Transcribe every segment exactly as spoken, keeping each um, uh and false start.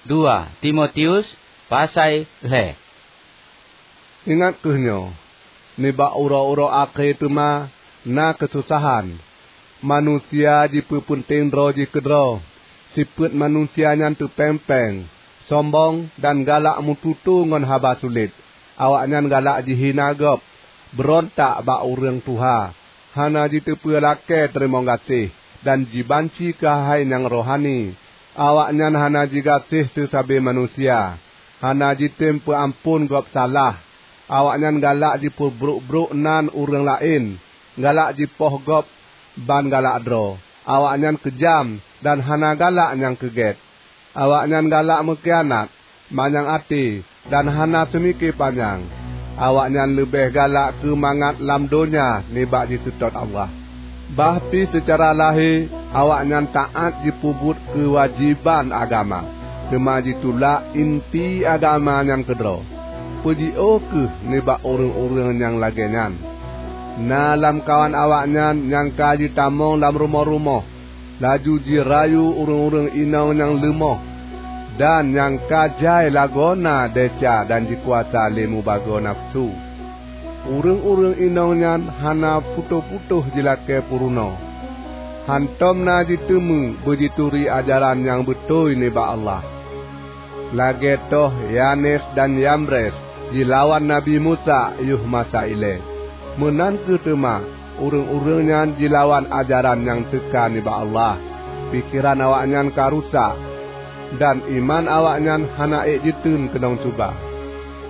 Dua Timotius pasai lhée. Ingat kheueh nyoe, nibak uroe-uroe akhé teuma na keususahan. Manusia jipeupeunteng droe jih keudroe. Sifeuet manusia nyan teupeng-peng, sombong, dan galak meututoe ngon haba sulet. Awaknyan galak jihina gob, beurontak bak ureuëng tuha, hana jiteupeu lakée teurimong gaséh, dan jibanci keuhai nyang rohani. Awaknyan hana jigaséh seusabe manusia, hana jitem peuamphon gob salah. Awaknyan galak jipeubrok-brok nan ureuëng laén, galak jipoh gob ban galak droe. Awaknyan keujam dan hana galak nyang keugét. Awaknyan galak meukhianat, manyang até, dan hana seumike panyang. Awaknyan leubeh galak keu mangat lam donya nibak jiseutôt Allah. Bah pih seucara lahé, awaknyan taát jipeubuet keuwajéban agama, teuma jitulak inti agama nyan keudroe. Peujiôh kheueh nibak ureuëng-ureuëng nyang lagée nyan. Na lamkawan awaknyan nyang ka jitamong lam rumoh-rumoh, laju jirayu ureuëng-ureuëng inong nyang leumoh, dan nyang ka jai lagoena desya dan jikuasa lé mubagoe nafeusu. Ureuëng-ureuëng inong nyan hana putôh-putôh jilakée peurunoe, hántom na jiteumé beujituri ajaran nyang beutôi nibak Allah. Lagée toh Yanes dan Yambres jilawan Nabi Musa yoh masa ilée, meunan kheueh teuma ureuëng-ureuëng nyan jilawan ajaran nyang teuka nibak Allah. Pikeran awaknyan ka rusak, dan iman awaknyan hana ék jiteun keunong cuba.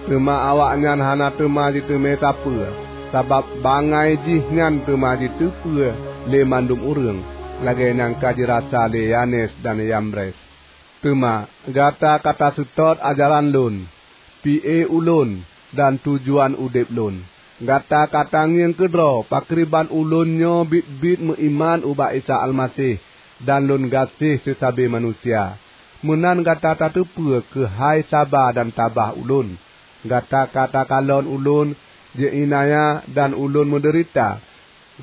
Teuma awaknyan hana teuma jiteumé sapeue, sabab bangai jih nyan teuma jiteupeue lé mandum ureuëng, lagée nyang ka jirasa lé Yanes dan Yambres. Teuma gata ka taseutôt ajaran lôn, pié ulôn, dan tujuan udeb lôn. Gata ka tangieng keudroe pakriban ulôn nyoe biet-biet meuiman ubak Isa Almaseh dan lôn gaséh seusabe manusia. Meunan gata tateupeue keuhai saba dan tabah ulôn. Gata ka takalon ulôn jeuinaya dan ulôn meudeurita.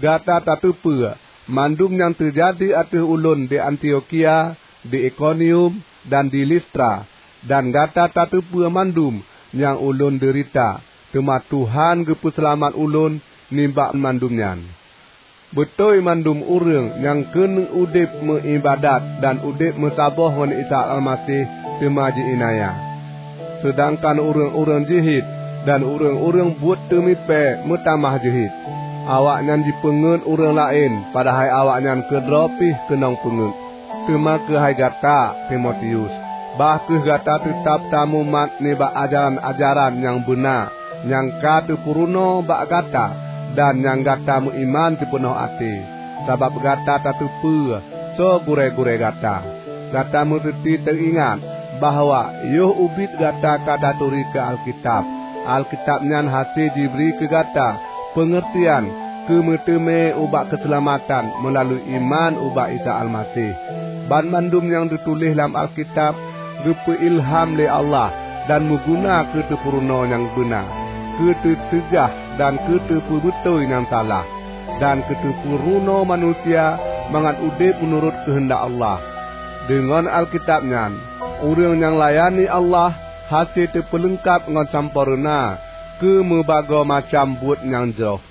Gata tateupeue mandum nyang teujadi ateueh ulôn di Antiokhia, di Ikonium, dan di Listra, dan gata tateupeue mandum nyang ulôn deurita, teuma Tuhan geupeuseulamat ulôn nibak mandum nyan. Beutôi mandum ureuëng nyang keuneuk udeb meuiébadat dan udeb meusaboh ngon Isa Almaseh teuma jiiénanya, seudangkan ureuëng-ureuëng jeuhet dan ureuëng-ureuëng buet teumipée meutamah jeuhet. Awaknyan jipeungeuet ureuëng laén, padahai awaknyan keudroe pih keunong peungeuet. Teuma keuhai gata, Timotius, bah kheueh gata teutab tamumat nibak ajaran-ajaran nyang beuna nyang ka teupeurunoe bak gata dan nyang gata meuiman sipeunoh até, sabab gata tateupeue soe gurée-gurée gata. Gata meuseuti teuingat bahwa yoh ubit gata ka taturi keu Alkitab. Alkitab nyan hase jibri keu gata peungeurtian keu meuteumé ubak keuseulamatan meulalu iman ubak Isa Almaseh. Banmandum nyang teutuléh lam Alkitab geupeu ilham lé Allah dan meuguna keu teupeurunoe nyang beuna, keu teuceugah dan keu teupeubeutôi nyang salah, dan keu teupeurunoe manusia mangat udeb meunurot keuheundak Allah. Deungon Alkitab nyan, ureuëng nyang layani Allah hase teupeuleungkab ngon sampoereuna keu meubagoe macam buet nyang jroh.